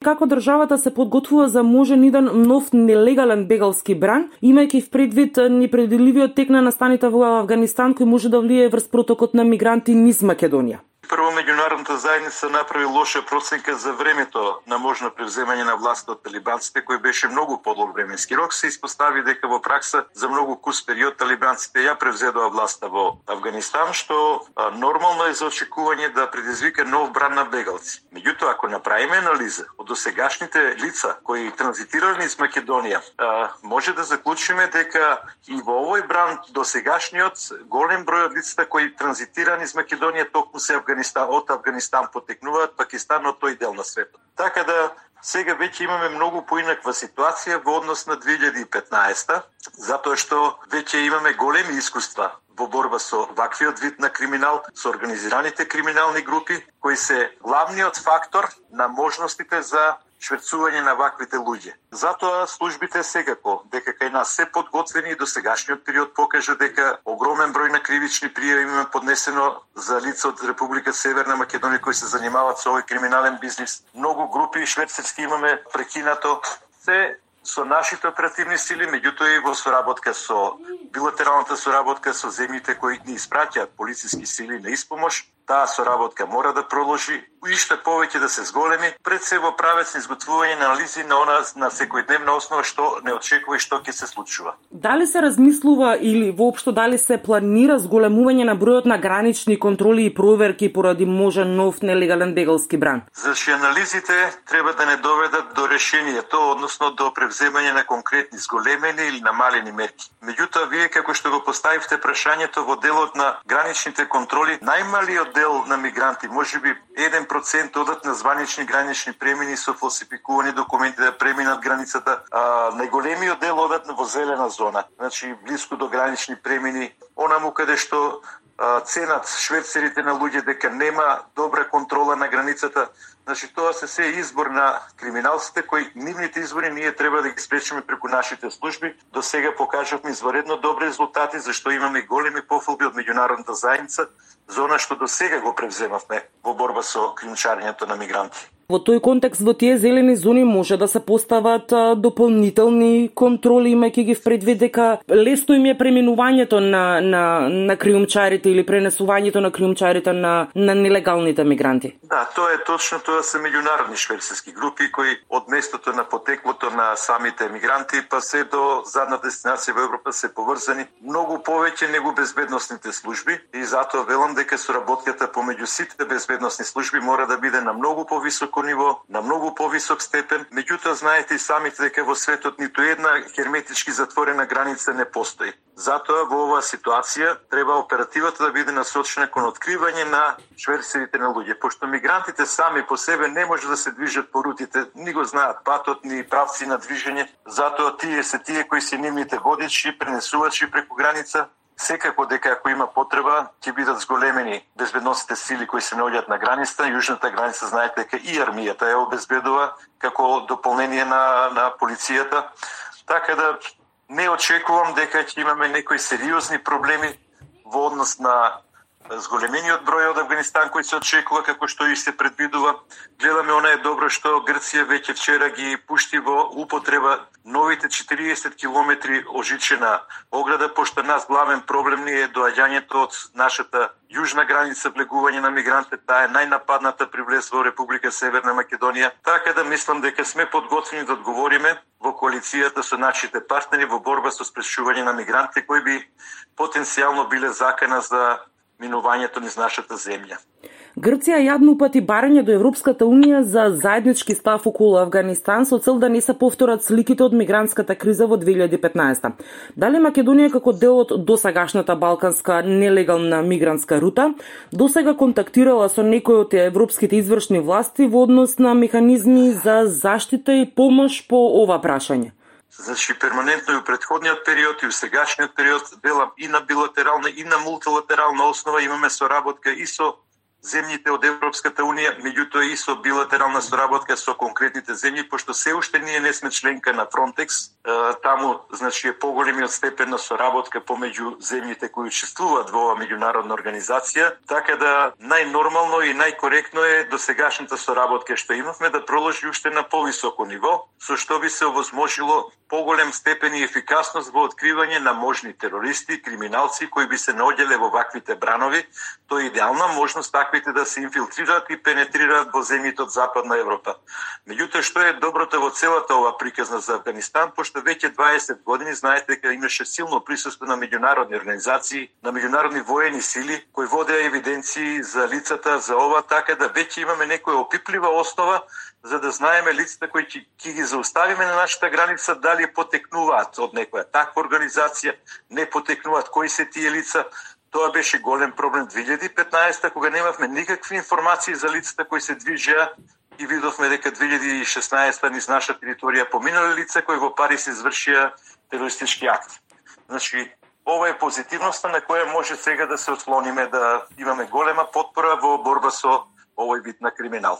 Како државата се подготвува за можен еден нов нелегален бегалски бран, имајќи в предвид непредвидливиот тек на настаните во Авганистан кој може да влие врз протокот на мигранти низ Македонија? Прво, меѓународната заедница направи лоша проценка за времето на можно превземање на власта од талибанците, кој беше многу подлог временски рок. Се испостави дека во пракса за многу кус период талибанците ја превзедоа власта во Авганистан, што нормално е за очекување да предизвика нов бран на бегалци. Меѓутоа, ако направиме анализа од досегашните лица кои транзитирале низ Македонија, може да заклучиме дека и во овој бран досегашниот голем број од лицата кои транзитира низ Македонија токму се од Авганистан потекнуваат Пакистан од тој дел на светот. Така да сега веќе имаме многу поинаква ситуација во однос на 2015, затоа што веќе имаме големи искуства во борба со ваквиот вид на криминал, со организираните криминални групи, кои се главниот фактор на можностите за шверцување на ваквите луѓе. Затоа службите секако дека кај нас се подготвени и до сегашниот период покажа дека огромен број на кривични пријави има поднесено за лица од Република Северна Македонија кои се занимаваат со овој криминален бизнис. Многу групи шверцерски имаме прекинато. Се со нашите оперативни сили, меѓутоа и во соработка со билатералната соработка со земјите кои ни испраќаат полициски сили на испомош, таа соработка мора да продолжи и што повеќе да се зголеми, пред се во правец на изготвување на анализи на она на секојдневна основа што не очекува и што ќе се случува. Дали се размислува или воопшто дали се планира зголемување на бројот на гранични контроли и проверки поради можен нов нелегален бегалски бран? Значи анализите треба да не доведат до решението, односно до превземање на конкретни зголемени или намалени мерки. Меѓутоа, вие како што го поставивте прашањето во делот на граничните контроли, најмалиот дел на мигранти, можеби 1% одат на званични гранични премини со фалсификувани документи да преминат границата. Најголемиот дел одат во зелена зона, значи близко до гранични премини, онаму каде што ценат шверцерите на луѓе дека нема добра контрола на границата. Значи тоа се избор на криминалците кои нивните избори ние треба да ги спречиме преку нашите служби. До сега покажавме изваредно добри резултати зашто имаме големи пофалби од меѓународната заедница за она што до сега го превземавме во борба со кримчарењето на мигранти. Во тој контекст, во тие зелени зони може да се постават дополнителни контроли, имајќи ги в предвид дека лесно им е преминувањето на криумчарите или пренесувањето на криумчарите на нелегалните мигранти. Да, тоа е точно, тоа се меѓународни шверцерски групи кои од местото на потеклото на самите мигранти па се до задна дестинација во Европа се поврзани многу повеќе него безбедносните служби и затоа велам дека соработката помеѓу сите безбедносни служби мора да биде на многу повисоко ниво, на многу повисок степен. Меѓутоа, знаете и самите дека во светот ниту една херметички затворена граница не постои. Затоа во оваа ситуација треба оперативата да биде насочена кон откривање на шверцерите на луѓе, пошто мигрантите сами по себе не може да се движат по рутите, ни го знаат патот, ни правци на движење, затоа тие кои се нивните водичи, пренесувачи преку граница. Секако дека ако има потреба, ќе бидат зголемени безбедносните сили кои се наоѓаат на границата. Јужната граница, знаете дека и армијата ја обезбедува како дополнение на полицијата. Така да не очекувам дека ќе имаме некои сериозни проблеми во однос на зголемениот број од Авганистан кој се очекува како што и се предвидува. Гледаме она е добро што Грција веќе вчера ги пушти во употреба новите 40 километри ожичена ограда, пошто нас главен проблем ни е доаѓањето од нашата јужна граница, влегување на мигранти, таа е најнападната при влез во Република Северна Македонија. Така да мислам дека сме подготвени да одговориме во коалицијата со нашите партнери во борба со спречување на мигранти кои би потенцијално биле закана за минувањето низ нашата земја. Грција јавно упати барање до Европската унија за заеднички став околу Авганистан со цел да не се повторат сликите од мигрантската криза во 2015. Дали Македонија како дел од досегашната балканска нелегална мигрантска рута досега контактирала со некои од европските извршни власти во однос на механизми за заштита и помош по ова прашање? Значи, перманентно и у претходниот период и у сегашниот период, велам и на билатерална и на мултилатерална основа имаме соработка и со земјите од Европската унија, меѓутоа и со билатерална соработка со конкретните земји, пошто се уште ние не сме членка на Frontex, таму значи е поголемиот степен на соработка помеѓу земјите кои учествуваат во оваа меѓународна организација, така да најнормално и најкоректно е досегашната соработка што имавме да продолжи уште на повисоко ниво, со што би се овозможило поголем степен и ефикасност во откривање на можни терористи, криминалци кои би се наоѓале во ваквите бранови. Тоа е идеална можност таквите да се инфилтрираат и пенетрираат во земјите од Западна Европа. Меѓутоа, што е доброто во целата ова приказна за Авганистан, пошто веќе 20 години знаете дека имаше силно присуство на меѓународни организации, на меѓународни воени сили кои водеа евиденции за лицата за ова, така да веќе имаме некоја опиплива основа за да знаеме лицата кои ќе ги зауставиме на нашата граница дали потекнуваат од некоја таква организација, не потекнуваат, кои се тие лица. Тоа беше голем проблем 2015 кога немавме никакви информации за лицата кои се движеа и видовме дека 2016 низ наша територија поминале лица кои во Париз извршија терористички акт. Значи, ова е позитивноста на која може сега да се ослониме, да имаме голема потпора во борба со овој вид на криминал.